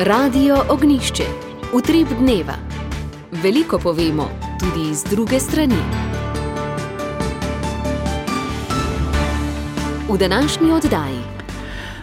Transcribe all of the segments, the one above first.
Radio Ognjišče. Utrip dneva. Veliko povemo, tudi iz druge strani. V današnji oddaji.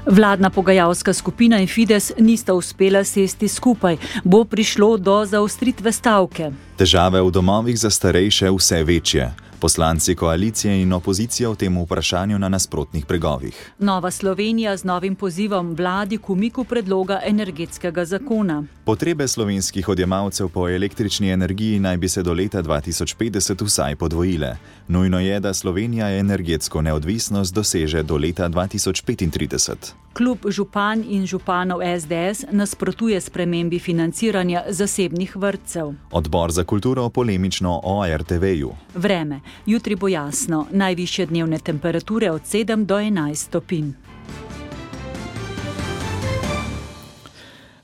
Vladna pogajalska skupina in Fides nista uspela sesti skupaj. Bo prišlo do zaostritve stavke. Težave v domovih za starejše vse večje. Poslanci koalicije in opozicije v tem vprašanju na nasprotnih bregovih. Nova Slovenija z novim pozivom vladi k umiku predloga energetskega zakona. Potrebe slovenskih odjemalcev po električni energiji naj bi se do leta 2050 vsaj podvojile. Nujno je, da Slovenija energetsko neodvisnost doseže do leta 2035. Klub županj in županov SDS nasprotuje spremembi financiranja zasebnih vrtcev. Odbor za kulturo polemično o RTV-ju. Vreme. Jutri bo jasno. Najvišje dnevne temperature od 7 do 11 stopinj.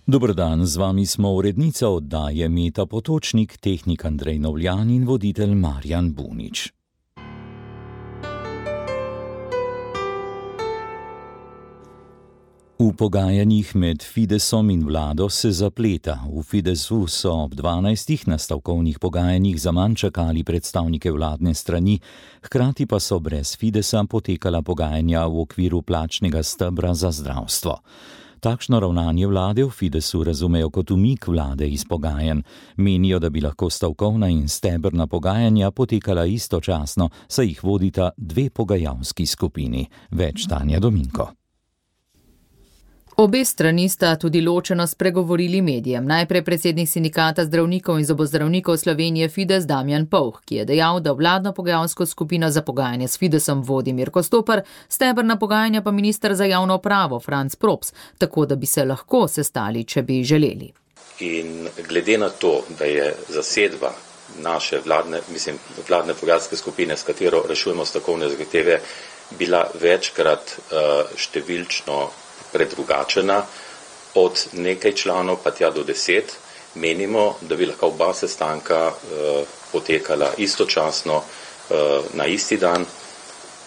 Dober dan, z vami smo urednica oddaje Meta Potočnik, tehnik Andrej Novljan in voditelj Marjan Bunič. V pogajanjih med Fidesom in vlado se zapleta. V Fidesu so ob 12. na stavkovnih pogajanjih zaman čakali predstavnike vladne strani, hkrati pa so brez Fidesa potekala pogajanja v okviru plačnega stebra za zdravstvo. Takšno ravnanje vlade v Fidesu razumejo kot umik vlade iz pogajanj. Menijo, da bi lahko stavkovna in stebrna pogajanja potekala istočasno, saj jih vodita dve pogajalski skupini. Več Tanja Dominko. Obe strani sta tudi ločeno spregovorili medijem. Najprej predsednik sindikata zdravnikov in zobozdravnikov Slovenije Fides Damjan Povh, ki je dejal, da vladno pogajalsko skupino za pogajanje s Fidesom vodi Mirko Stopar, stebrna pogajanja pa minister za javno upravo Franc Props, tako da bi se lahko sestali, če bi želeli. In glede na to, da je zasedba naše vladne pogajalske skupine, s katero rešujemo stavkovne zahteve, bila večkrat številčno predrugačena, od nekaj članov pa tja do 10, menimo, da bi lahko oba sestanka potekala istočasno na isti dan,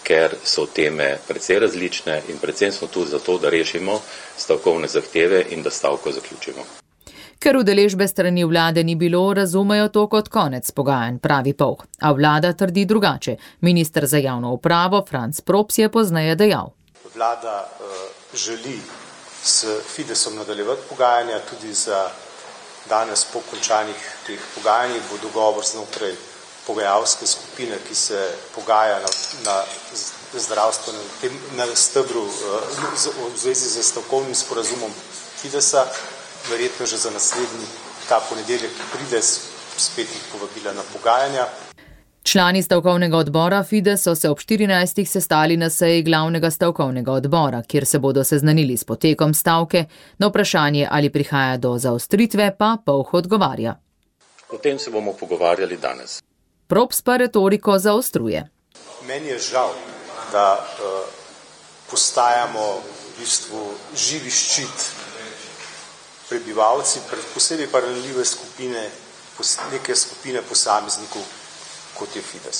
ker so teme precej različne in predvsem smo tu zato, da rešimo stavkovne zahteve in da stavko zaključimo. Ker udeležbe strani vlade ni bilo, razumejo to kot konec pogajanj, pravi Povh, a vlada trdi drugače. Minister za javno upravo Franc Props je pozneje dejal. Vlada želi s Fidesom nadaljevati pogajanja, tudi za danes po končanih teh pogajanjih bo dogovor znotraj pogajalske skupine, ki se pogaja na zdravstvenem na stebru v zvezi z stavkovnim sporazumom Fidesa, verjetno že za naslednji ta ponedeljek, ki pride, spet jih povabila na pogajanja. Člani stavkovnega odbora Fides so se ob 14. sestali na seji glavnega stavkovnega odbora, kjer se bodo seznanili s potekom stavke. Na vprašanje, ali prihaja do zaostritve, pa Povh odgovarja. O tem se bomo pogovarjali danes. Props pa retoriko zaostruje. Meni je žal, da postajamo v bistvu živi ščit prebivalci, posebej pa ranljive skupine, neke skupine posameznikov, kot je Fides.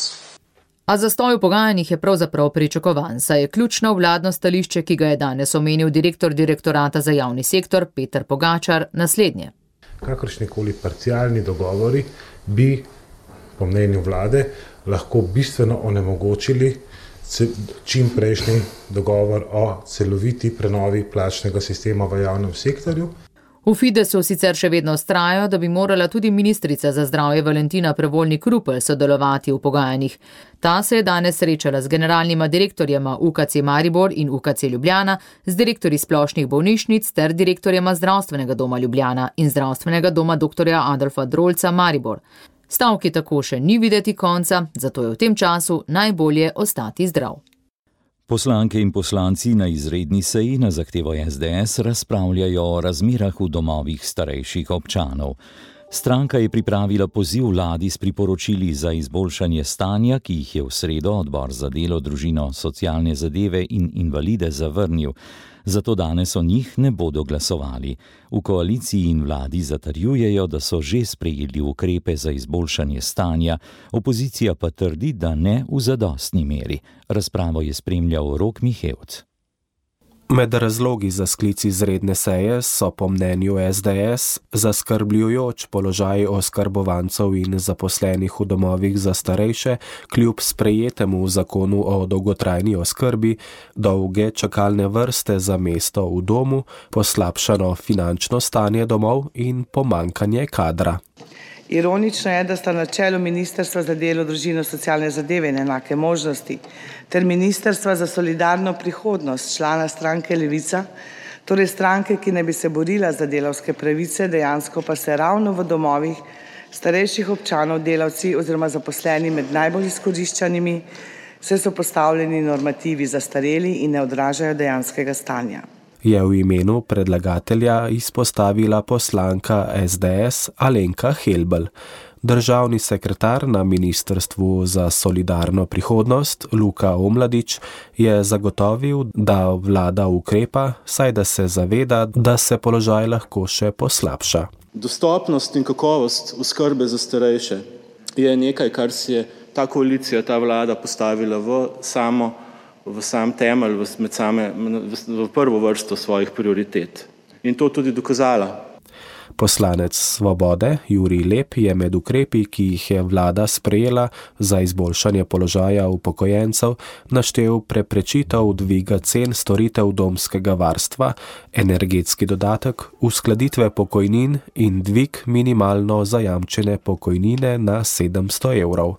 A zastoj v pogajanjih je pravzaprav pričakovan, saj je ključno vladno stališče, ki ga je danes omenil direktor direktorata za javni sektor Peter Pogačar, naslednje. Kakršnikoli parcialni dogovori bi, po mnenju vlade, lahko bistveno onemogočili čim prejšnji dogovor o celoviti prenovi plačnega sistema v javnem sektorju. V Fidesu sicer še vedno vztrajajo, da bi morala tudi ministrica za zdravje Valentina Prevolnik-Rupel sodelovati v pogajanjih. Ta se je danes srečala z generalnima direktorjema UKC Maribor in UKC Ljubljana, z direktorji splošnih bolnišnic ter direktorjema Zdravstvenega doma Ljubljana in Zdravstvenega doma dr. Adolfa Drolca Maribor. Stavki tako še ni videti konca, zato je v tem času najbolje ostati zdrav. Poslanke in poslanci na izredni seji na zahtevo SDS razpravljajo o razmerah v domovih starejših občanov. Stranka je pripravila poziv vladi s priporočili za izboljšanje stanja, ki jih je v sredo odbor za delo, družino, socialne zadeve in invalide zavrnil. Zato danes o njih ne bodo glasovali. V koaliciji in vladi zatrjujejo, da so že sprejeli ukrepe za izboljšanje stanja, opozicija pa trdi, da ne v zadostni meri. Razpravo je spremljal Rok Mihevc. Med razlogi za sklic izredne seje so po mnenju SDS zaskrbljujoč položaj oskrbovancev in zaposlenih v domovih za starejše, kljub sprejetemu zakonu o dolgotrajni oskrbi, dolge čakalne vrste za mesto v domu, poslabšano finančno stanje domov in pomanjkanje kadra. Ironično je, da sta na čelu Ministrstva za delo, družino, socialne zadeve in enake možnosti ter Ministrstva za solidarno prihodnost člana stranke Levica, torej stranke, ki naj bi se borila za delavske pravice, dejansko pa se ravno v domovih starejših občanov delavci oziroma zaposleni med najbolj izkoriščanimi, saj so postavljeni normativi zastareli in ne odražajo dejanskega stanja. Je v imenu predlagatelja izpostavila poslanka SDS Alenka Helbl. Državni sekretar na Ministrstvu za solidarno prihodnost Luka Omladič je zagotovil, da vlada ukrepa, saj da se zaveda, da se položaj lahko še poslabša. Dostopnost in kakovost oskrbe za starejše je nekaj, kar si je ta koalicija, ta vlada postavila v sam temelj, v prvo vrsto svojih prioritet. In to tudi dokazala. Poslanec Svobode Jurij Lep je med ukrepi, ki jih je vlada sprejela za izboljšanje položaja upokojencev, naštel preprečitev dviga cen storitev domskega varstva, energetski dodatek, uskladitve pokojnin in dvig minimalno zajamčene pokojnine na 700 evrov.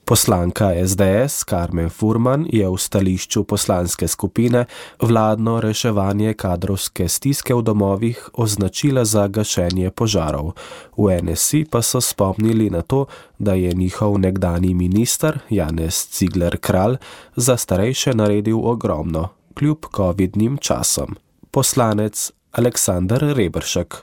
Poslanka SDS Karmen Furman je v stališču poslanske skupine vladno reševanje kadrovske stiske v domovih označila za gašenje požarov. V NSI pa so spomnili na to, da je njihov nekdanji minister Janez Cigler Kralj za starejše naredil ogromno, kljub covidnim časom. Poslanec Aleksander Reberšek.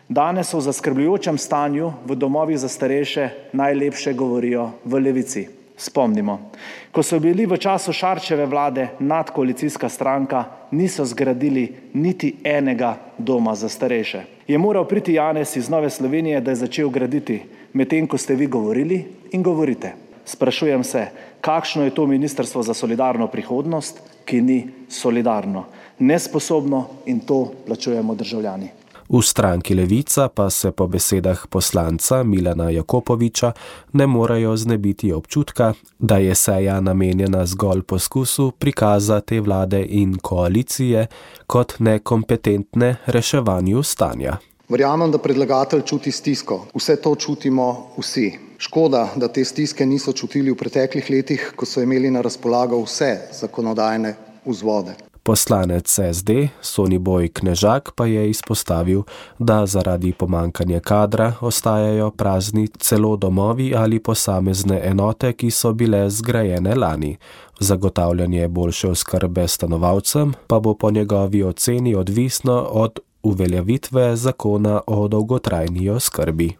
Danes o zaskrbljujočem stanju v domovih za starejše najlepše govorijo v Levici. Spomnimo, ko so bili v času Šarčeve vlade nadkoalicijska stranka, niso zgradili niti enega doma za starejše. Je moral priti Janez iz Nove Slovenije, da je začel graditi, medtem ko ste vi govorili in govorite. Sprašujem se, kakšno je to Ministrstvo za solidarno prihodnost, ki ni solidarno, nesposobno in to plačujemo državljani. V stranki Levica pa se po besedah poslanca Milana Jakopoviča ne morejo znebiti občutka, da je seja namenjena zgolj poskusu prikaza te vlade in koalicije kot nekompetentne reševanju stanja. Verjamem, da predlagatelj čuti stisko. Vse to čutimo vsi. Škoda, da te stiske niso čutili v preteklih letih, ko so imeli na razpolago vse zakonodajne vzvode. Poslanec SD Soniboj Knežak pa je izpostavil, da zaradi pomanjkanja kadra ostajajo prazni celo domovi ali posamezne enote, ki so bile zgrajene lani. Zagotavljanje boljše oskrbe stanovalcem pa bo po njegovi oceni odvisno od uveljavitve zakona o dolgotrajni oskrbi.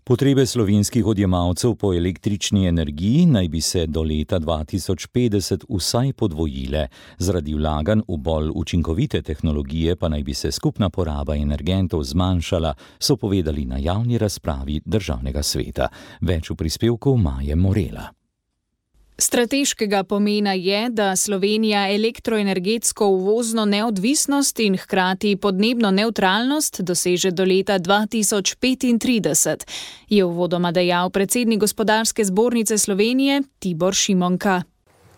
Potrebe slovenskih odjemalcev po električni energiji naj bi se do leta 2050 vsaj podvojile. Zaradi vlaganj v bolj učinkovite tehnologije pa naj bi se skupna poraba energentov zmanjšala, so povedali na javni razpravi Državnega sveta. Več v prispevku Maje Morela. Strateškega pomena je, da Slovenija elektroenergetsko uvozno neodvisnost in hkrati podnebno nevtralnost doseže do leta 2035, je uvodoma dejal predsednik Gospodarske zbornice Slovenije Tibor Šimonka.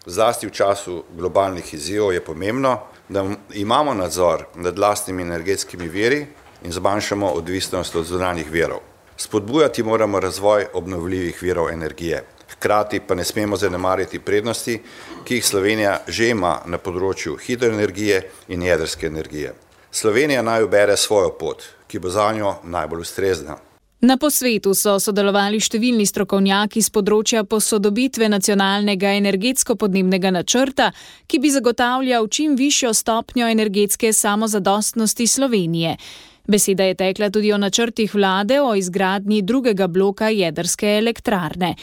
Zlasti v času globalnih izzivov je pomembno, da imamo nadzor nad lastnimi energetskimi viri in zmanjšamo odvisnost od zunanjih virov. Spodbujati moramo razvoj obnovljivih virov energije. Hkrati pa ne smemo zanemariti prednosti, ki jih Slovenija že ima na področju hidroenergije in jedrske energije. Slovenija naj ubere svojo pot, ki bo zanjo najbolj ustrezna. Na posvetu so sodelovali številni strokovnjaki z področja posodobitve nacionalnega energetsko-podnebnega načrta, ki bi zagotavljal čim višjo stopnjo energetske samozadostnosti Slovenije. Beseda je tekla tudi o načrtih vlade o izgradnji drugega bloka jedrske elektrarne.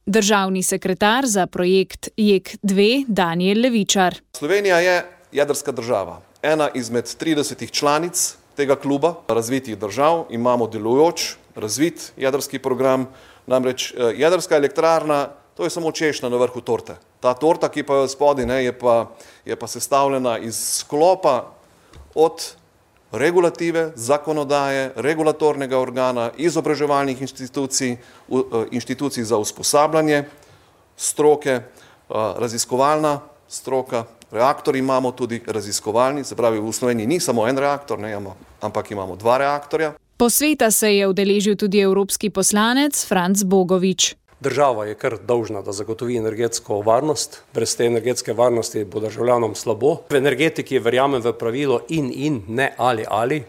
Državni sekretar za projekt JEK2 Danijel Levičar. Slovenija je jedrska država. Ena izmed 30 članic tega kluba razvitih držav. Imamo delujoč, razvit jedrski program. Namreč jedrska elektrarna to je samo češnja na vrhu torte. Ta torta, ki pa je spodaj, je pa sestavljena iz sklopa od regulative, zakonodaje, regulatornega organa, izobraževalnih inštitucij za usposabljanje, stroke, raziskovalna stroka, reaktor imamo tudi raziskovalni, se pravi v Sloveniji ni samo en reaktor, ampak imamo 2 reaktorja. Posveta se je udeležil tudi evropski poslanec Franc Bogovič. Država je kar dolžna, da zagotovi energetsko varnost. Brez te energetske varnosti bo državljanom slabo. V energetiki verjamem v pravilo in, ne ali.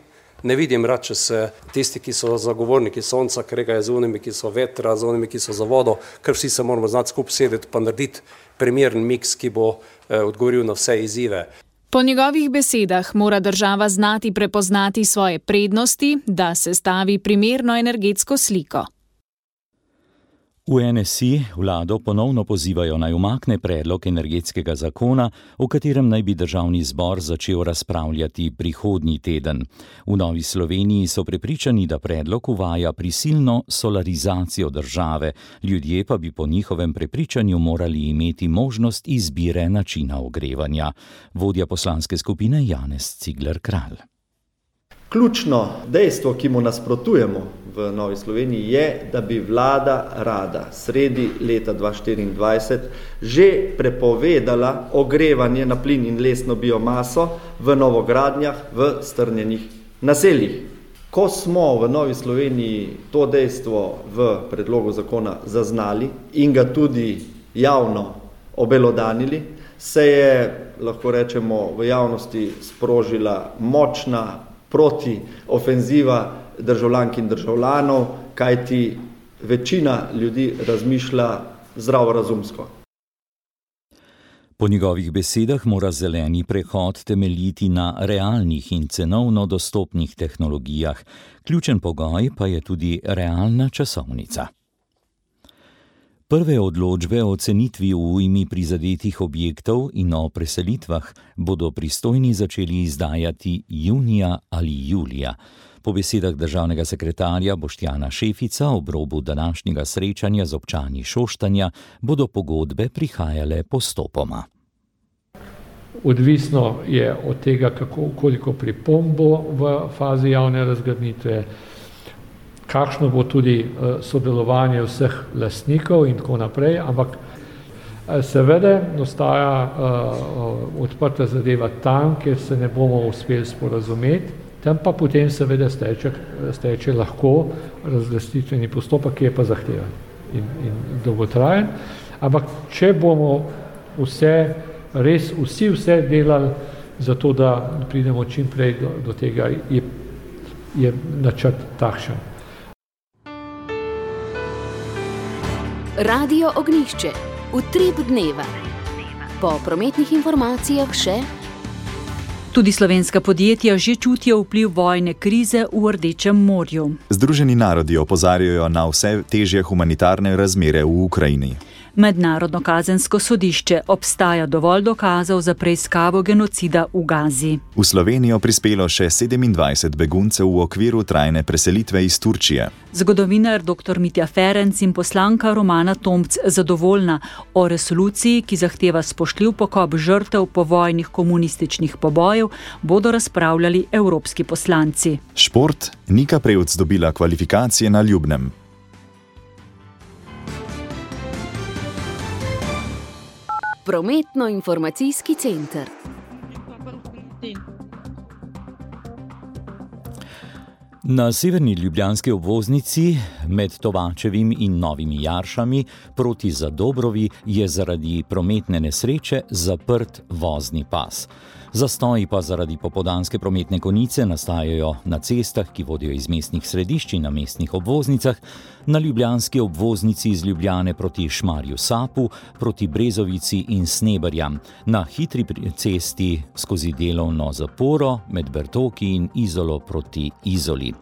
Ne vidim rad, če se tisti, ki so zagovorniki sonca, kregajo z onimi, ki so vetra, z onimi, ki so za vodo, ker vsi se moramo znati skupaj sedeti pa narediti primeren miks, ki bo odgovoril na vse izzive. Po njegovih besedah mora država znati prepoznati svoje prednosti, da sestavi primerno energetsko sliko. V NSI vlado ponovno pozivajo naj umakne predlog energetskega zakona, o katerem naj bi državni zbor začel razpravljati prihodnji teden. V Novi Sloveniji so prepričani, da predlog uvaja prisilno solarizacijo države, ljudje pa bi po njihovem prepričanju morali imeti možnost izbire načina ogrevanja. Vodja poslanske skupine Janez Cigler Kralj. Ključno dejstvo, ki mu nasprotujemo v Novi Sloveniji, je, da bi vlada rada sredi leta 2024 že prepovedala ogrevanje na plin in lesno biomaso v novogradnjah v strnjenih naseljih. Ko smo v Novi Sloveniji to dejstvo v predlogu zakona zaznali in ga tudi javno obelodanili, se je, lahko rečemo, v javnosti sprožila močna proti ofenziva državljank in državljanov, kajti večina ljudi razmišlja zdravorazumsko. Po njegovih besedah mora zeleni prehod temeljiti na realnih in cenovno dostopnih tehnologijah. Ključen pogoj pa je tudi realna časovnica. Prve odločbe o cenitvi v ujmi prizadetih objektov in o preselitvah bodo pristojni začeli izdajati junija ali julija. Po besedah državnega sekretarja Boštjana Šefica ob robu današnjega srečanja z občani Šoštanja bodo pogodbe prihajale postopoma. Odvisno je od tega, koliko pripomb bo v fazi javne razgrnitve, kakšno bo tudi sodelovanje vseh lastnikov in tako naprej, ampak seveda ostaja odprta zadeva tam, kjer se ne bomo uspeli sporazumeti, tam pa potem seveda steče lahko razlastitveni postopek, ki je pa zahteven in dolgotrajen, ampak če bomo vsi delali za to, da pridemo čim prej do tega, je načrt takšen. Radio Ognjišče, utrip dneva. Po prometnih informacijah še. Tudi slovenska podjetja že čutijo vpliv vojne krize v Rdečem morju. Združeni narodi opozarjajo na vse težje humanitarne razmere v Ukrajini. Mednarodno kazensko sodišče obstaja dovolj dokazov za preiskavo genocida v Gazi. V Slovenijo prispelo še 27 beguncev v okviru trajne preselitve iz Turčije. Zgodovinar dr. Mitja Ferenc in poslanka Romana Tomc zadovoljna o resoluciji, ki zahteva spoštljiv pokop žrtev povojnih komunističnih pobojev, bodo razpravljali evropski poslanci. Šport. Nika Prevc dobila kvalifikacije na Ljubnem. Prometno-informacijski center. Na severni ljubljanski obvoznici med Tovačevim in Novimi Jaršami proti Zadobrovi je zaradi prometne nesreče zaprt vozni pas. Zastoji pa zaradi popoldanske prometne konice nastajajo na cestah, ki vodijo iz mestnih središč in na mestnih obvoznicah, na ljubljanski obvoznici iz Ljubljane proti Šmarju Sapu, proti Brezovici in Sneberjam, na hitri cesti skozi delovno zaporo med Bertoki in Izolo proti Izoli.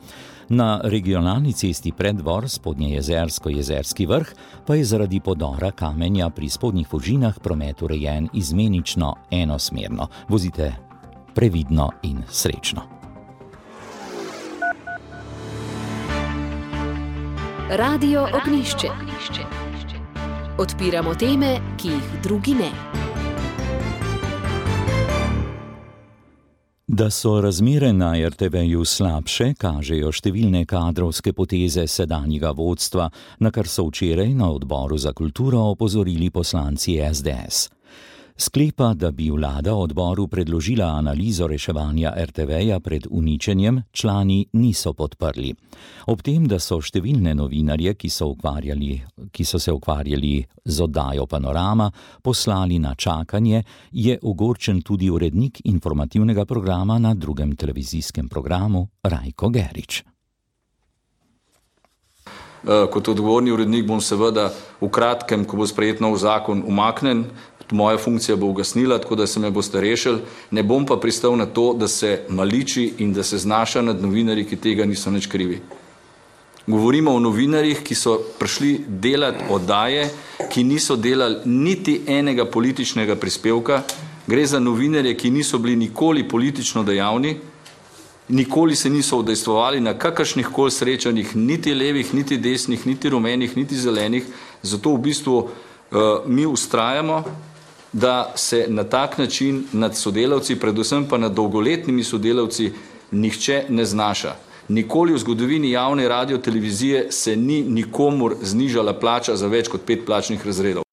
Na regionalni cesti Preddvor, Spodnjejezersko-Jezerski vrh, pa je zaradi podora kamenja pri Spodnjih Fužinah promet urejen izmenično enosmerno. Vozite previdno in srečno. Radio Ognjišče. Odpiramo teme, ki jih drugi ne. Da so razmere na RTV-ju slabše, kažejo številne kadrovske poteze sedanjega vodstva, na kar so včeraj na odboru za kulturo opozorili poslanci SDS. Sklepa, da bi vlada odboru predložila analizo reševanja RTV-ja pred uničenjem, člani niso podprli. Ob tem, da so številne novinarje, ki so se ukvarjali z oddajo Panorama, poslali na čakanje, je ogorčen tudi urednik informativnega programa na drugem televizijskem programu Rajko Gerič. Kot odgovorni urednik bom seveda v kratkem, ko bo sprejet nov zakon, umaknen. Moja funkcija bo ugasnila, tako da se me boste rešili. Ne bom pa pristal na to, da se maliči in da se znaša nad novinarji, ki tega niso nič krivi. Govorimo o novinarjih, ki so prišli delati oddaje, ki niso delali niti enega političnega prispevka. Gre za novinarje, ki niso bili nikoli politično dejavni, nikoli se niso udejstvovali na kakršnih koli srečanjih, niti levih, niti desnih, niti rumenih, niti zelenih. Zato v bistvu mi vztrajamo, da se na tak način nad sodelavci, predvsem pa nad dolgoletnimi sodelavci, nihče ne znaša. Nikoli v zgodovini javne radiotelevizije se ni nikomur znižala plača za več kot 5 plačnih razredov.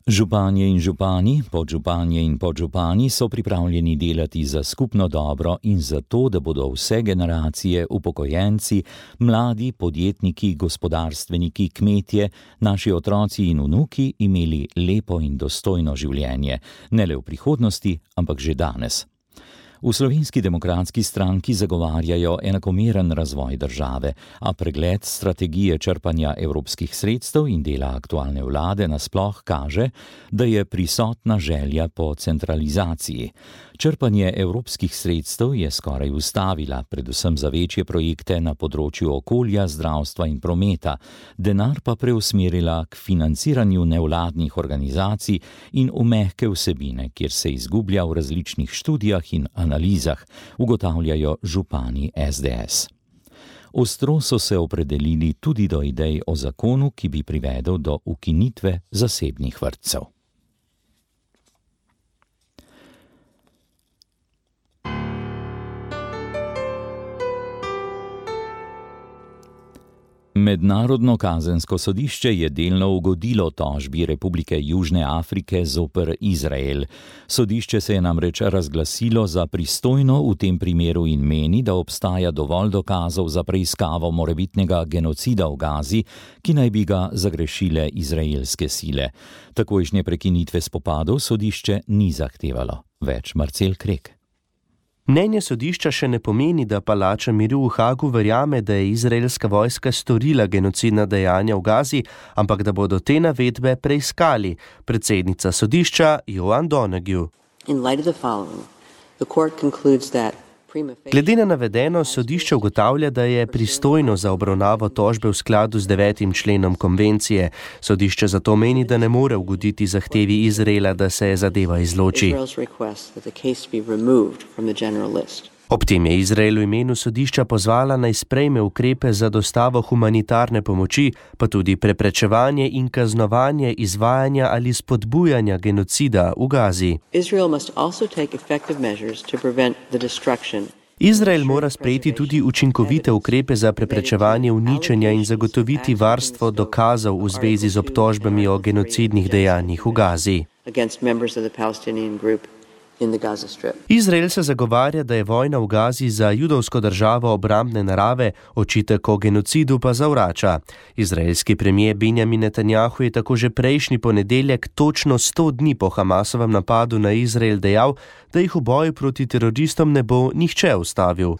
Županje in župani, podžupanje in podžupani so pripravljeni delati za skupno dobro in za to, da bodo vse generacije, upokojenci, mladi, podjetniki, gospodarstveniki, kmetje, naši otroci in vnuki imeli lepo in dostojno življenje, ne le v prihodnosti, ampak že danes. V Slovenski demokratski stranki zagovarjajo enakomeren razvoj države, a pregled strategije črpanja evropskih sredstev in dela aktualne vlade nasploh kaže, da je prisotna želja po centralizaciji. Črpanje evropskih sredstev je skoraj ustavila, predvsem za večje projekte na področju okolja, zdravstva in prometa, denar pa preusmerila k financiranju nevladnih organizacij in v mehke vsebine, kjer se izgublja v različnih študijah in analizah, ugotavljajo župani SDS. Ostro so se opredelili tudi do idej o zakonu, ki bi privedel do ukinitve zasebnih vrtcev. Mednarodno kazensko sodišče je delno ugodilo tožbi Republike Južne Afrike zoper Izrael. Sodišče se je namreč razglasilo za pristojno v tem primeru in meni, da obstaja dovolj dokazov za preiskavo morebitnega genocida v Gazi, ki naj bi ga zagrešile izraelske sile. Takojšnje prekinitve spopadov sodišče ni zahtevalo. Več Marcel Krek. Mnenje sodišča še ne pomeni, da palača miru v Hagu verjame, da je izraelska vojska storila genocidna dejanja v Gazi, ampak da bodo te navedbe preiskali. Predsednica sodišča Joan Donoghue. Glede na navedeno, sodišče ugotavlja, da je pristojno za obravnavo tožbe v skladu z 9. členom konvencije. Sodišče zato meni, da ne more ugoditi zahtevi Izraela, da se zadeva izloči. Ob tem je Izrael v imenu sodišča pozvala naj sprejme ukrepe za dostavo humanitarne pomoči, pa tudi preprečevanje in kaznovanje izvajanja ali spodbujanja genocida v Gazi. Izrael mora sprejeti tudi učinkovite ukrepe za preprečevanje uničenja in zagotoviti varstvo dokazov v zvezi z obtožbami o genocidnih dejanjih v Gazi. Izrael se zagovarja, da je vojna v Gazi za judovsko državo obrambne narave, očitek o genocidu pa zavrača. Izraelski premier Benjamin Netanjahu je tako že prejšnji ponedeljek, točno 100 dni po Hamasovem napadu na Izrael, dejal, da jih v boju proti teroristom ne bo nihče ustavil.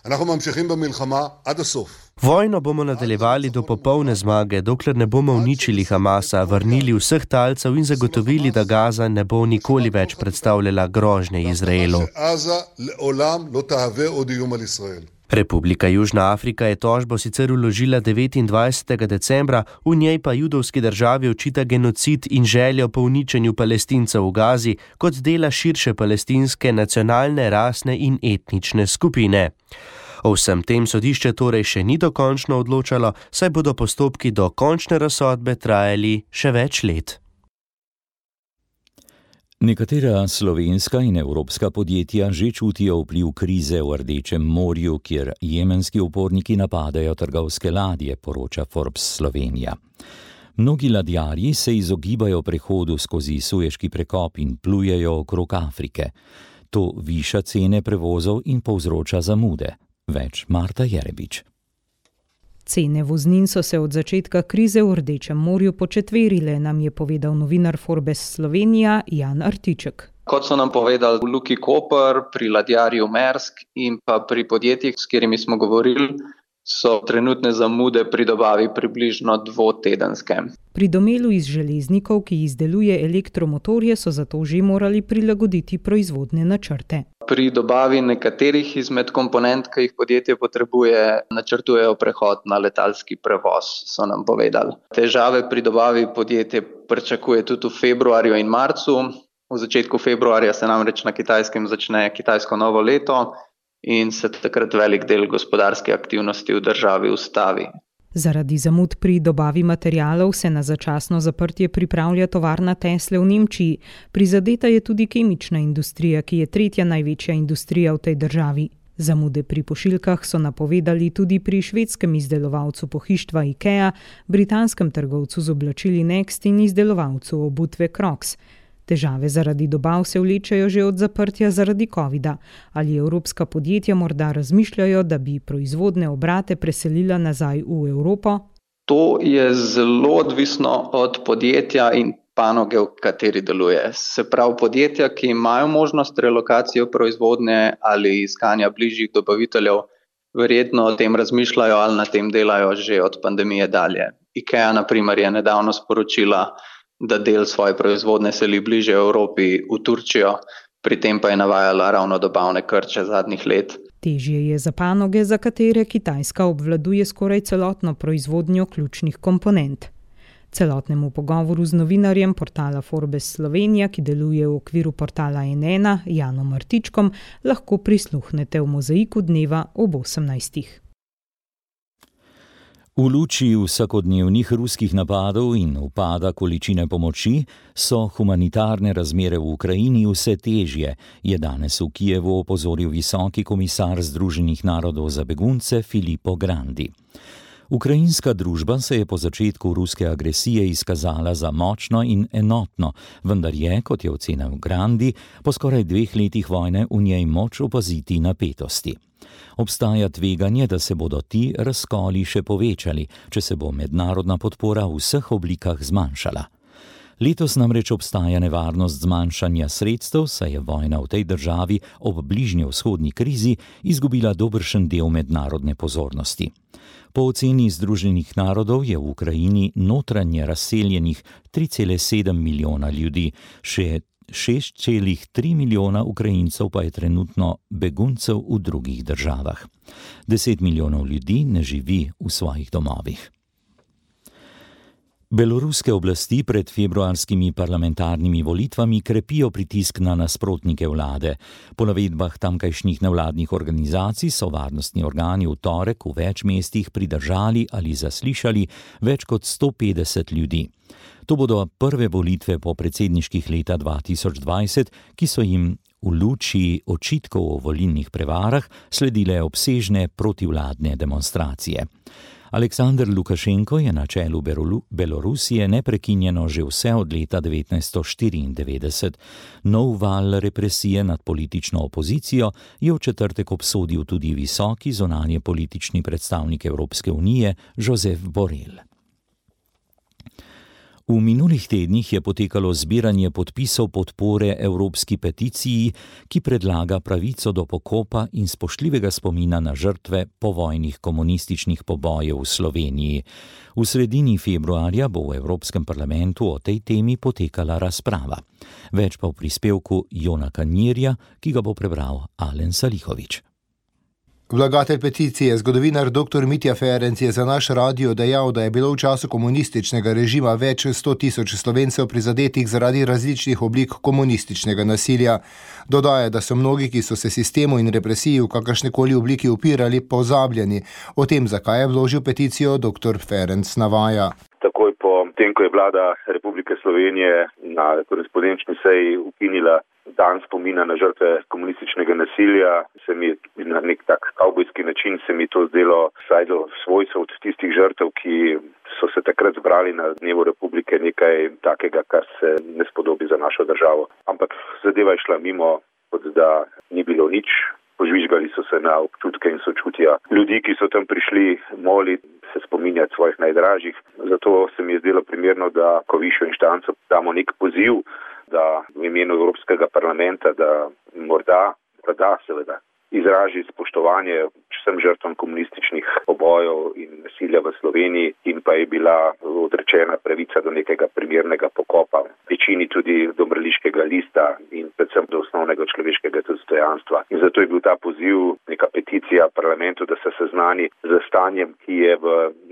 Vojno bomo nadaljevali do popolne zmage, dokler ne bomo uničili Hamasa, vrnili vseh talcev in zagotovili, da Gaza ne bo nikoli več predstavljala grožnje Izraelu. Republika Južna Afrika je tožbo sicer vložila 29. decembra, v njej pa judovski državi očita genocid in željo po uničenju Palestincev v Gazi kot dela širše palestinske nacionalne, rasne in etnične skupine. O vsem tem sodišče torej še ni dokončno odločalo, saj bodo postopki do končne razsodbe trajali še več let. Nekatera slovenska in evropska podjetja že čutijo vpliv krize v Rdečem morju, kjer jemenski uporniki napadajo trgovske ladje, poroča Forbes Slovenija. Mnogi ladjarji se izogibajo prehodu skozi Sueški prekop in plujejo okrog Afrike. To viša cene prevozov in povzroča zamude. Več Marta Jerebič. Cene voznin so se od začetka krize v Rdečem morju početverile, nam je povedal novinar Forbes Slovenija Jan Artiček. Kot so nam povedali v Luki Koper, pri ladjarju Maersk in pa pri podjetjih, s katerimi smo govorili, so trenutne zamude pri dobavi približno dvotedenske. Pri Domelu iz Železnikov, ki izdeluje elektromotorje, so zato že morali prilagoditi proizvodne načrte. Pri dobavi nekaterih izmed komponent, ki jih podjetje potrebuje, načrtujejo prehod na letalski prevoz, so nam povedali. Težave pri dobavi podjetje pričakuje tudi v februarju in marcu. V začetku februarja se namreč na Kitajskem začne kitajsko novo leto in se takrat velik del gospodarske aktivnosti v državi ustavi. Zaradi zamud pri dobavi materialov se na začasno zaprtje pripravlja tovarna Tesle v Nemčiji. Prizadeta je tudi kemična industrija, ki je tretja največja industrija v tej državi. Zamude pri pošiljkah so napovedali tudi pri švedskem izdelovalcu pohištva IKEA, britanskem trgovcu z oblačili Next in izdelovalcu obutve Crocs. Težave zaradi dobav se vlečejo že od zaprtja zaradi covida. Ali evropska podjetja morda razmišljajo, da bi proizvodne obrate preselila nazaj v Evropo? To je zelo odvisno od podjetja in panoge, v kateri deluje. Se pravi, podjetja, ki imajo možnost relokacije proizvodnje ali iskanja bližjih dobaviteljev, verjetno o tem razmišljajo ali na tem delajo že od pandemije dalje. IKEA, na primer, je nedavno sporočila, da del svoje proizvodne seli bliže Evropi v Turčijo, pri tem pa je navajala ravno dobavne krče zadnjih let. Težje je za panoge, za katere Kitajska obvladuje skoraj celotno proizvodnjo ključnih komponent. Celotnemu pogovoru z novinarjem portala Forbes Slovenija, ki deluje v okviru portala N1, Janom Artičkom, lahko prisluhnete v Mozaiku dneva ob 18. V luči vsakodnevnih ruskih napadov in upada količine pomoči so humanitarne razmere v Ukrajini vse težje, je danes v Kijevu opozoril visoki komisar Združenih narodov za begunce Filippo Grandi. Ukrajinska družba se je po začetku ruske agresije izkazala za močno in enotno, vendar je, kot je ocenil Grandi, po skoraj 2 letih vojne v njej moč opaziti napetosti. Obstaja tveganje, da se bodo ti razkoli še povečali, če se bo mednarodna podpora v vseh oblikah zmanjšala. Letos namreč obstaja nevarnost zmanjšanja sredstev, saj je vojna v tej državi ob bližnjevzhodni krizi izgubila dobršen del mednarodne pozornosti. Po oceni Združenih narodov je v Ukrajini notranje razseljenih 3,7 milijona ljudi, še 6,3 milijona Ukrajincev pa je trenutno beguncev v drugih državah. 10 milijonov ljudi ne živi v svojih domovih. Beloruske oblasti pred februarskimi parlamentarnimi volitvami krepijo pritisk na nasprotnike vlade. Po navedbah tamkajšnjih nevladnih organizacij so varnostni organi v torek v več mestih pridržali ali zaslišali več kot 150 ljudi. To bodo prve volitve po predsedniških leta 2020, ki so jim v luči očitkov o volilnih prevarah sledile obsežne protivladne demonstracije. Aleksandr Lukašenko je na čelu Belorusije neprekinjeno že vse od leta 1994. Nov val represije nad politično opozicijo je v četrtek obsodil tudi visoki zunanje politični predstavnik Evropske unije Josep Borrell. V minulih tednih je potekalo zbiranje podpisov podpore evropski peticiji, ki predlaga pravico do pokopa in spoštljivega spomina na žrtve povojnih komunističnih pobojev v Sloveniji. V sredini februarja bo v Evropskem parlamentu o tej temi potekala razprava. Več pa v prispevku Jona Kanirja, ki ga bo prebral Alen Salihović. Vlagatelj peticije, zgodovinar dr. Mitja Ferenc je za naš radio dejal, da je bilo v času komunističnega režima več 100.000 Slovencev prizadetih zaradi različnih oblik komunističnega nasilja. Dodaja, da so mnogi, ki so se sistemu in represiji v kakršnekoli obliki upirali, pozabljeni. O tem, zakaj je vložil peticijo, dr. Ferenc navaja. Takoj po tem, ko je vlada Republike Slovenije na korespondenčni seji ukinila dan spomina na žrtve komunističnega nasilja, se mi na nek tak kavbojski način se mi to zdelo vsaj do svojcev od tistih žrtev, ki so se takrat zbrali na dnevu Republike, nekaj takega, kar se ne spodobi za našo državo. Ampak zadeva je šla mimo, kot da ni bilo nič. Požvižgali so se na občutke in sočutja ljudi, ki so tam prišli moliti, se spominjati svojih najdražjih. Zato se mi je zdelo primerno, da ko višjo inštanco damo nek poziv, da v imenu Evropskega parlamenta, da morda seveda izraži spoštovanje vsem žrtvam komunističnih pobojev in nasilja v Sloveniji in pa je bila odrečena pravica do nekega primernega pokopa, večini tudi do mrliškega lista in predvsem do osnovnega človeškega dostojanstva. In zato je bil ta poziv, neka peticija parlamentu, da se seznani z stanjem, ki je v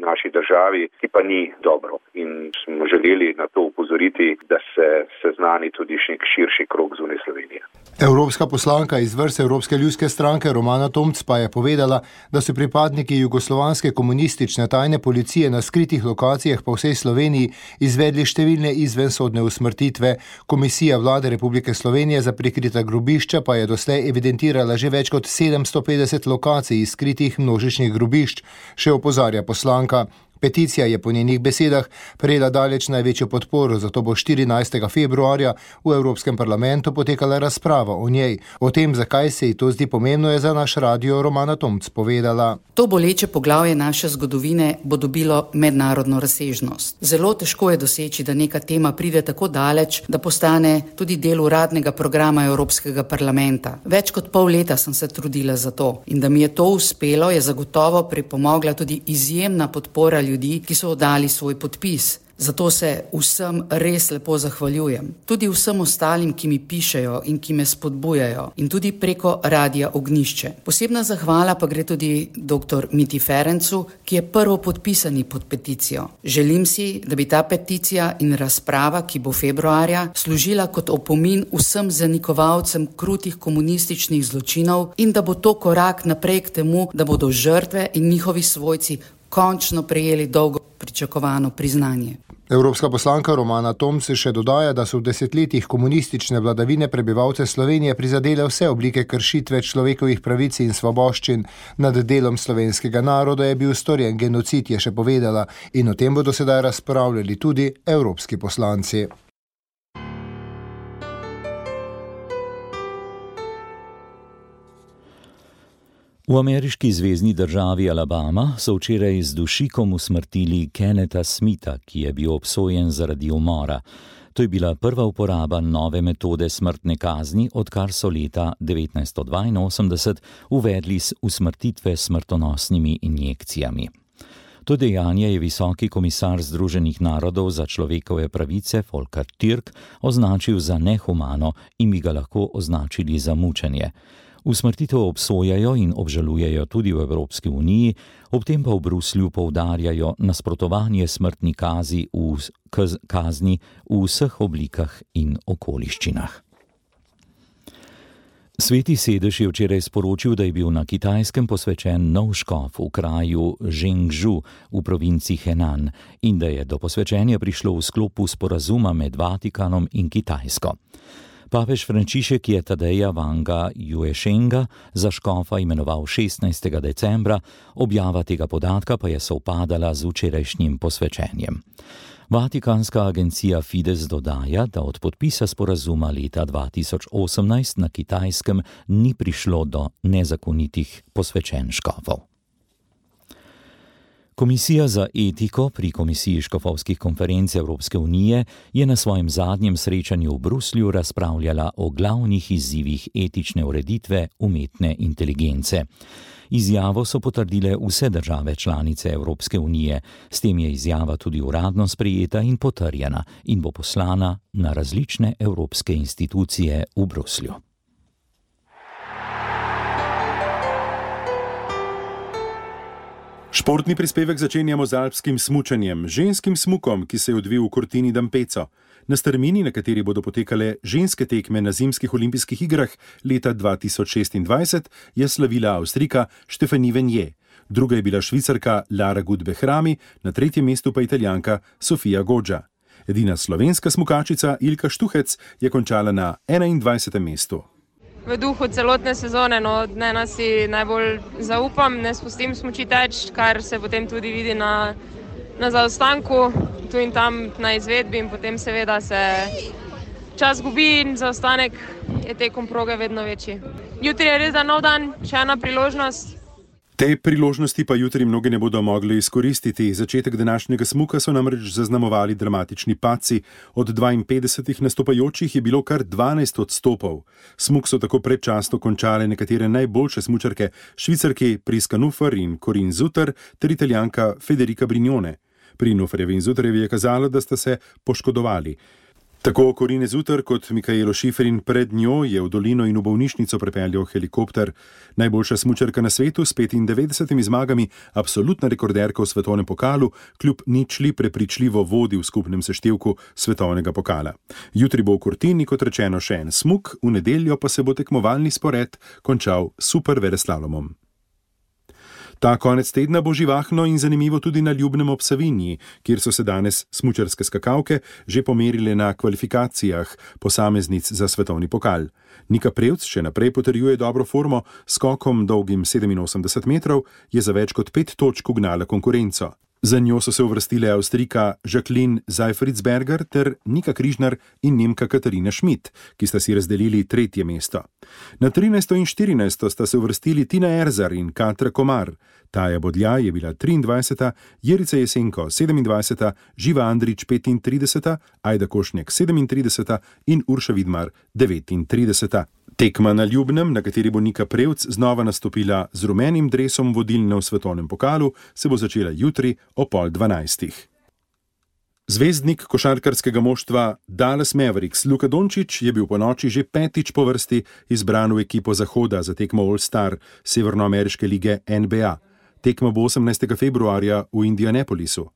naši državi, ki pa ni dobro. In smo želeli na to upozoriti, da se seznani tudi nek širši krog zunaj Slovenije. Evropska poslanka iz vrst Evropske ljudske stranke Romana Tomc pa je povedala, da so pripadniki jugoslovanske komunistične tajne policije na skritih lokacijah po vsej Sloveniji izvedli številne izvensodne usmrtitve. Komisija vlade Republike Slovenije za prikrita grobišča pa je doslej evidentirala že več kot 750 lokacij skritih množičnih grobišč, še opozarja poslanka. Peticija je po njenih besedah prejela daleč največjo podporo, zato bo 14. februarja v Evropskem parlamentu potekala razprava o njej. O tem, zakaj se ji to zdi pomembno, je za naš radio Romana Tomc povedala. To boleče poglavje naše zgodovine bo dobilo mednarodno razsežnost. Zelo težko je doseči, da neka tema pride tako daleč, da postane tudi del uradnega programa Evropskega parlamenta. Več kot pol leta sem se trudila za to in da mi je to uspelo, je zagotovo pripomogla tudi izjemna podpora ljudi, ki so oddali svoj podpis. Zato se vsem res lepo zahvaljujem. Tudi vsem ostalim, ki mi pišejo in ki me spodbujajo. In tudi preko Radia Ognjišče. Posebna zahvala pa gre tudi dr. Miti Ferencu, ki je prvo podpisani pod peticijo. Želim si, da bi ta peticija in razprava, ki bo februarja, služila kot opomin vsem zanikovalcem krutih komunističnih zločinov in da bo to korak naprej k temu, da bodo žrtve in njihovi svojci končno prejeli dolgo pričakovano priznanje. Evropska poslanka Romana Tomc še dodaja, da so v desetletjih komunistične vladavine prebivalce Slovenije prizadele vse oblike kršitve človekovih pravic in svoboščin. Nad delom slovenskega naroda je bil storjen genocid, je še povedala, in o tem bodo sedaj razpravljali tudi evropski poslanci. V ameriški zvezni državi Alabama so včeraj z dušikom usmrtili Kennetha Smitha, ki je bil obsojen zaradi umora. To je bila prva uporaba nove metode smrtne kazni, odkar so leta 1982 uvedli usmrtitve s smrtonosnimi injekcijami. To dejanje je visoki komisar Združenih narodov za človekove pravice Volker Türk označil za nehumano in bi ga lahko označili za mučenje. Usmrtitev obsojajo in obžalujejo tudi v Evropski uniji, ob tem pa v Bruslju poudarjajo nasprotovanje smrtni kazni v vseh oblikah in okoliščinah. Sveti sedež je včeraj sporočil, da je bil na Kitajskem posvečen nov škof v kraju Zhengzhou v provinci Henan in da je do posvečenja prišlo v sklopu sporazuma med Vatikanom in Kitajsko. Papež Frančišek je Tadeja Wanga Jueshenga za škofa imenoval 16. decembra, objava tega podatka pa je sovpadala z včerajšnjim posvečenjem. Vatikanska agencija Fides dodaja, da od podpisa sporazuma leta 2018 na Kitajskem ni prišlo do nezakonitih posvečenj škofov. Komisija za etiko pri Komisiji škofovskih konferenc Evropske unije je na svojem zadnjem srečanju v Bruslju razpravljala o glavnih izzivih etične ureditve umetne inteligence. Izjavo so potrdile vse države članice Evropske unije, s tem je izjava tudi uradno sprejeta in potrjena in bo poslana na različne evropske institucije v Bruslju. Športni prispevek začenjamo z alpskim smučanjem, ženskim smukom, ki se je odvil v Cortini d'Ampezzo. Na strmini, na kateri bodo potekale ženske tekme na zimskih olimpijskih igrah leta 2026, je slavila Avstrijka Stefanie Venier. Druga je bila Švicarka Lara Gut-Behrami, na tretjem mestu pa Italijanka Sofia Goggia. Edina slovenska smukačica Ilka Štuhec je končala na 21. mestu. V duhu celotne sezone, dnevno si najbolj zaupam, ne spustim smuči teč, kar se potem tudi vidi na zaostanku, tu in tam na izvedbi in potem seveda se čas gubi in zaostanek je tekom proge vedno večji. Jutri je res nov dan, še ena priložnost. Te priložnosti pa jutri mnogi ne bodo mogli izkoristiti. Začetek današnjega smuka so namreč zaznamovali dramatični padci. Od 52 nastopajočih je bilo kar 12 odstopov. Smuk so tako predčasno končale nekatere najboljše smučarke, Švicarki Priska Nufer in Corinne Suter ter Italijanka Federica Brignone. Pri Nuferjevi in Suterjevi je kazalo, da sta se poškodovali. Tako Corinne Suter kot Michaelo Schifrin pred njo je v dolino in v bolnišnico prepeljal helikopter. Najboljša smučarka na svetu s 95 zmagami, absolutna rekorderka v svetovnem pokalu, kljub ničli prepričljivo vodi v skupnem seštevku svetovnega pokala. Jutri bo v Cortini, kot rečeno, še en smuk, v nedeljo pa se bo tekmovalni spored končal super veleslalomom. Ta konec tedna bo živahno in zanimivo tudi na Ljubnem ob Savinji, kjer so se danes smučarske skakalke že pomerile na kvalifikacijah posameznic za svetovni pokal. Nika Prevc še naprej potrjuje dobro formo, skokom dolgim 87 metrov je za več kot 5 točk ugnala konkurenco. Za njo so se uvrstile Avstrijka Jacqueline Seifritzberger ter Nika Križnar in Nemka Katarina Schmidt, ki sta si razdelili 3. mesto. Na 13. in 14. sta se uvrstili Tina Erzar in Katra Komar. Taja Bodlja je bila 23., Jerica Jesenko 27., Živa Andrić 35., Ajda Košnjak 37. in Urša Vidmar 39. Tekma na Ljubnem, na kateri bo Nika Prevc znova nastopila z rumenim dresom vodilne v svetovnem pokalu, se bo začela jutri o 11:30. Zvezdnik košarkarskega moštva Dallas Mavericks Luka Dončić je bil ponoči že 5. po vrsti izbran v ekipo Zahoda za tekmo All-Star severnoameriške lige NBA. Tekma bo 18. februarja v Indianapolisu.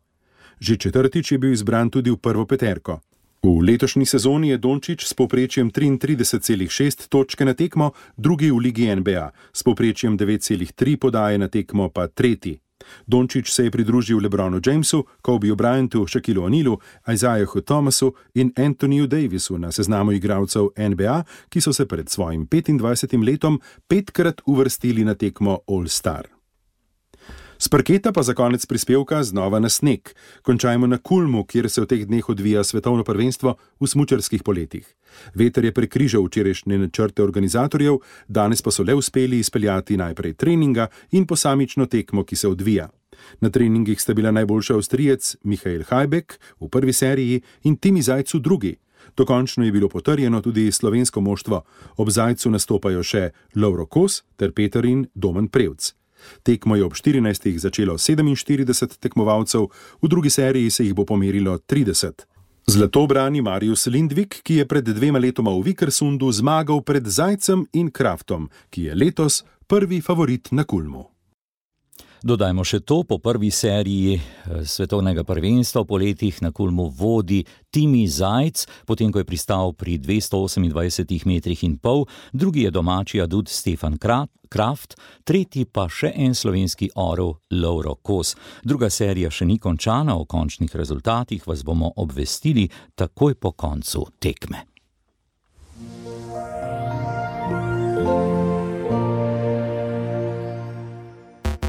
Že 4. je bil izbran tudi v prvo peterko. V letošnji sezoni je Dončić s povprečjem 33,6 točke na tekmo, drugi v ligi NBA, s povprečjem 9,3 podaje na tekmo pa 3. Dončić se je pridružil LeBronu Jamesu, Kobe Bryantu, Shaquilu O'Nealu, Isaiahu Thomasu in Anthonyju Davisu na seznamu igralcev NBA, ki so se pred svojim 25. letom 5-krat uvrstili na tekmo All-Star. S parketa pa za konec prispevka znova na sneg. Končajmo na Kulmu, kjer se v teh dneh odvija svetovno prvenstvo v smučarskih poletih. Veter je prekrižal včerajšnje načrte organizatorjev, danes pa so le uspeli izpeljati najprej treninga in posamično tekmo, ki se odvija. Na treningih sta bila najboljša Avstrijec Michael Hajbek v prvi seriji in Timi Zajc v drugi. Dokončno je bilo potrjeno tudi slovensko moštvo. Ob Zajcu nastopajo še Lovro Kos ter Peterin Domen Prevc. Tekmo je ob 14. začelo 47 tekmovalcev, v drugi seriji se jih bo pomerilo 30. Zlato brani Marius Lindvik, ki je pred 2 letoma v Vikersundu zmagal pred Zajcem in Kraftom, ki je letos prvi favorit na Kulmu. Dodajmo še to, po prvi seriji svetovnega prvenstva v poletih na Kulmu vodi Timi Zajc, potem ko je pristal pri 228,5 metrih, drugi je domači adut Stefan Kraft, tretji pa še en slovenski orel Lovro Kos. Druga serija še ni končana, o končnih rezultatih vas bomo obvestili takoj po koncu tekme.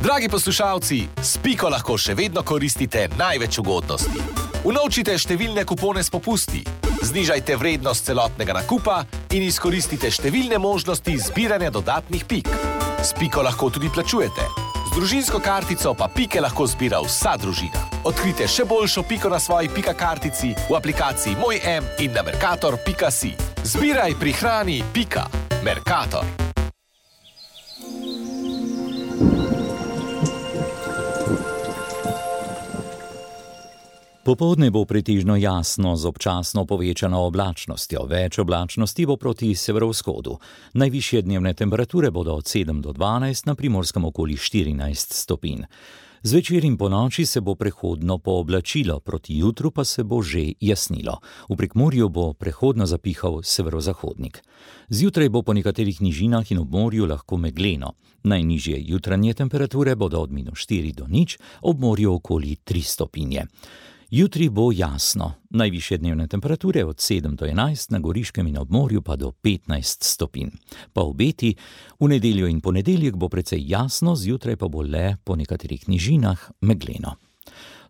Dragi poslušalci, s Piko lahko še vedno koristite največ ugodnosti. Unovčite številne kupone s popusti, znižajte vrednost celotnega nakupa in izkoristite številne možnosti zbiranja dodatnih pik. S Piko lahko tudi plačujete. Z družinsko kartico pa pike lahko zbira vsa družina. Odkrite še boljšo Piko na svoji Pika kartici v aplikaciji Moj M in na mercator.si. Zbiraj, prihrani, Pika. Mercator. Popoldne bo pretežno jasno z občasno povečano oblačnostjo. Več oblačnosti bo proti severovzhodu. Najvišje dnevne temperature bodo od 7 do 12, na Primorskem okoli 14 stopinj. Zvečer in ponoči se bo prehodno pooblačilo, proti jutru pa se bo že jasnilo. V Prekmurju bo prehodno zapihal severozahodnik. Zjutraj bo po nekaterih nižinah in ob morju lahko megleno. Najnižje jutranje temperature bodo od -4 do 0, ob morju okoli 3 stopinje. Jutri bo jasno, najvišje dnevne temperature od 7 do 11, na Goriškem in ob morju pa do 15 stopinj. Pa obeti, v nedeljo in ponedeljek bo precej jasno, zjutraj pa bo le po nekaterih nižinah megleno.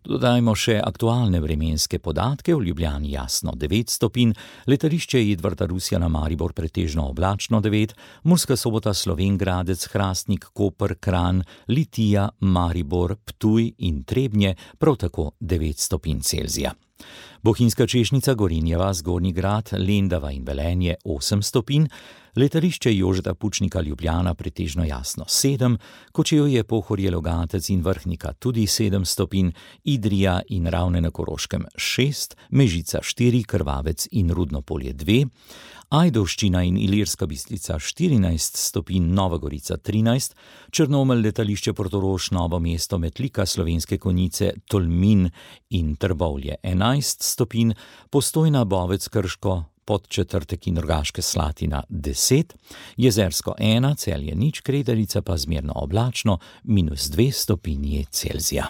Dodajmo še aktualne vremenske podatke. V Ljubljani jasno 9 stopinj, letališče Edvarda Rusjana Maribor pretežno oblačno 9, Murska Sobota, Slovenj Gradec, Hrastnik, Koper, Kranj, Litija, Maribor, Ptuj in Trebnje prav tako 9 stopinj Celzija. Bohinjska Češnica, Gorenjeva, Zgornji Grad, Lendava in Velenje 8 stopinj, letališče Jožeta Pučnika Ljubljana pretežno jasno 7, Kočevje, Pohorje, Logatec in Vrhnika tudi 7 stopinj, Idrija in Ravne na Koroškem 6, Mežica 4, Krvavec in Rudno Polje 2, Ajdovščina in Ilirska Bistrica 14 stopinj, Nova Gorica 13, Črnomelj, letališče Portorož, Novo mesto, Metlika, Slovenske Konjice, Tolmin in Trbovlje 11 stopinj, Postojna, Bovec, Krško, Podčetrtek in Rogaška Slatina 10, Jezersko 1, Celje 0, Kredarica pa zmerno oblačno -2 stopinje Celzija.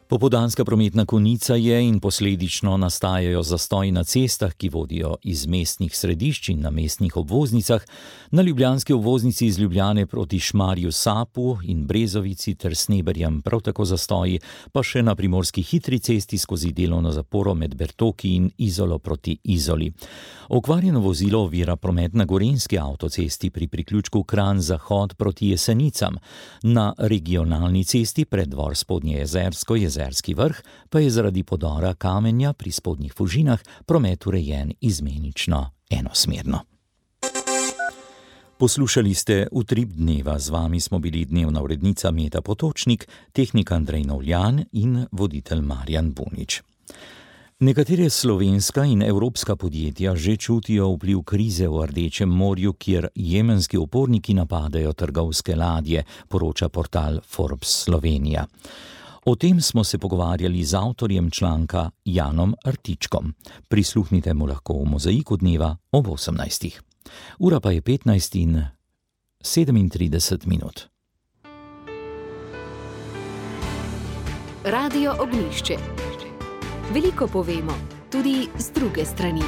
Popoldanska prometna konica je in posledično nastajajo zastoji na cestah, ki vodijo iz mestnih središč in na mestnih obvoznicah, na ljubljanski obvoznici iz Ljubljane proti Šmarju Sapu in Brezovici ter Sneberjem prav tako zastoji, pa še na primorski hitri cesti skozi delovno zaporo med Bertoki in Izolo proti Izoli. Okvarjeno vozilo ovira promet na gorenjski avtocesti pri priključku Kranj-Zahod proti Jesenicam, na regionalni cesti pred dvor Spodnje Jezersko, Jezerski vrh, pa je zaradi podora kamenja pri Spodnjih Fužinah promet urejen izmenično enosmerno. Poslušali ste Utrip dneva, z vami smo bili dnevna urednica Meta Potočnik, tehnik Andrej Novljan in voditelj Marjan Bunič. Nekatere slovenska in evropska podjetja že čutijo vpliv krize v Rdečem morju, kjer jemenski uporniki napadajo trgovske ladje, poroča portal Forbes Slovenija. O tem smo se pogovarjali z avtorjem članka Janom Artičkom. Prisluhnite mu lahko v Mozaiku dneva ob 18. Ura pa je 15:37. Radio Ognjišče. Veliko povemo, tudi z druge strani.